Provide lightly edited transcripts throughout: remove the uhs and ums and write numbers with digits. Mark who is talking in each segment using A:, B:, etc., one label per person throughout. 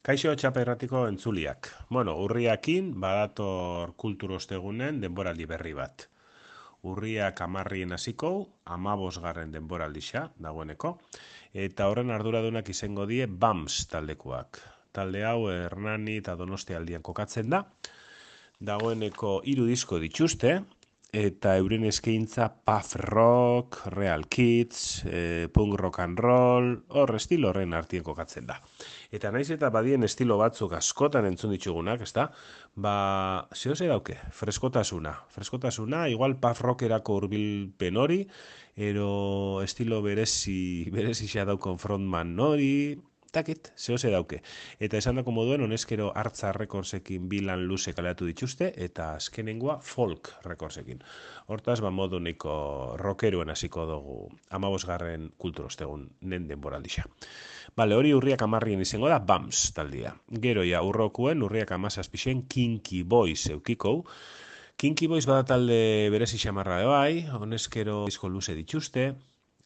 A: Kaixo txaperratiko entzuliak. Urriakin badator kulturostegunen denboraldi berri bat. Urriak 10 hasiko, 15 denboraldixa dagoeneko, eta horren arduradunak izango die BAMS taldekoak. Talde hau Hernani eta Donostia aldian kokatzen da. Dagoeneko 3 disko dituzte, eta euren eskaintza puff rock, real kids, punk rock and roll, hor estilo horren artien kokatzen da. Eta naiz eta badien estilo batzuk askotan entzun ditugunak, ezta? Zehose dauke, freskotasuna, igual puff rockerako hurbilpen hori, ero estilo berezi xa daukon frontman hori, takit, zehose dauke. Eta esan dako moduen, honezkero Artza Recordsekin bilan luze kaleatu dituzte, eta azkenengoa folk recordsekin. Hortaz, modu neko rockeruen hasiko dugu 15 kulturostegun nen denboraldixa. Hori urriak 10 izango da BAMS taldia. Gero ja urrokuen urriak 17 Kinky Boys eukikou. Kinky Boys bada talde berezi xamarra bai, honezkero disko luze dituzte,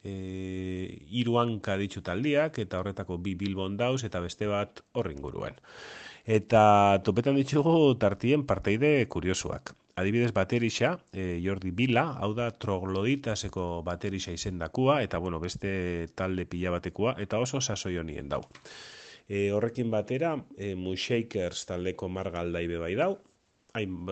A: 3 hanka ditu taldiak, eta horretako 2 Bilbon dauz, eta beste bat horringuruen. Eta topetan ditugu tartien parteide kuriosuak. Adibidez baterixa, Jordi Bila, hau da trogloditaseko baterixa izendakua, eta beste talde pila batekua, eta oso sasoi honien dau. Horrekin batera, Mushakers taldeko margaldaibe bai dau,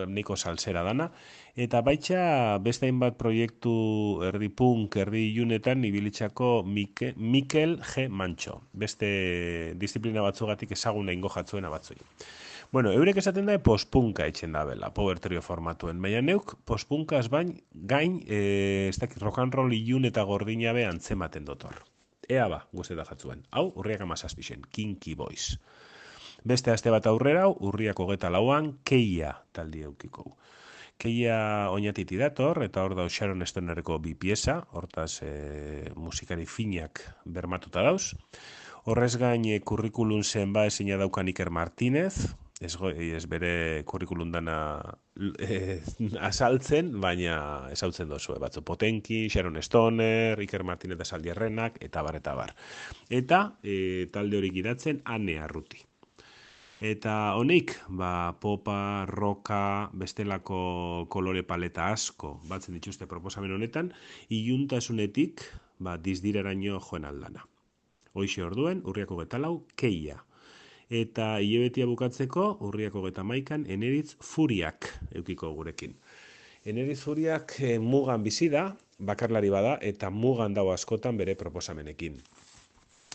A: niko salsera dana, eta baitxa beste hainbat proiektu erdi punk, erdi ilunetan ibilitzako Mikel G. Mancho, beste disiplina batzugatik ezaguna ingo jatzuena batzui. Eurek esaten da postpunka etxen da bela, Power Trio formatuen, baina neuk postpunkaz gain, ez dakit rock and roll ilun eta gordina be antzematen dotor. Ea guzteta jatzuen. Hau, urriak 17, Kinky Boys. Beste aste bat aurrera, urriak 24an, Keia taldi eukiko. Keia oinatiti dator, eta hor dauz Sharon Stonerreko 2 pieza, hortaz musikari finak bermatuta dauz. Horrez gain kurrikulun zenba ezina daukan Iker Martínez, ez bere kurrikulun dana azaltzen, baina ezautzen dozu, batzu Potenki, Sharon Stoner, Iker Martínez Asaldierrenak, eta bar. Eta talde hori gidatzen Ane Arruti. Eta honik, popa, roka, bestelako kolore paleta asko batzen dituzte proposamen honetan, iluntasunetik dizdiraraino joen aldana. Hoixe orduen, urriak 24, Keia. Eta hilebetia bukatzeko, urriak 31, Eneritz Furiak eukiko gurekin. Eneritz Furiak mugan bizi da, bakarlari bada, eta mugan dago askotan bere proposamenekin.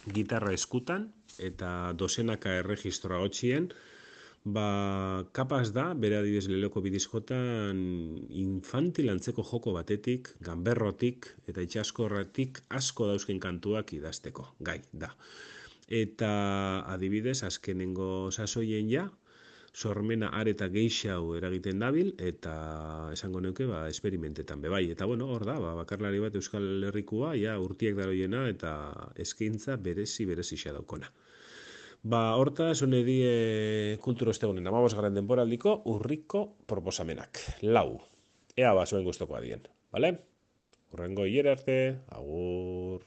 A: Gitarra eskutan, eta dozenaka erregistroa hotxien, kapaz da, bere adibidez leloko bidizkotan infantil antzeko joko batetik, ganberrotik eta itxaskorratik asko dauzken kantuak idazteko, gai da. Eta adibidez, azkenengo sasoien ja, sormena areta geixau eragiten dabil, eta esango neuke, esperimentetan bebai. Eta hor da, bakarlari bat Euskal Herrikua, urtiek daroiena, eta eskaintza berezi xa daukona. Hortaz, hone die kulturostegunen 15 denboraldiko urriko proposamenak. 4. Ea zuen guztokoa dien, bale? Urrengo hilera arte, agur!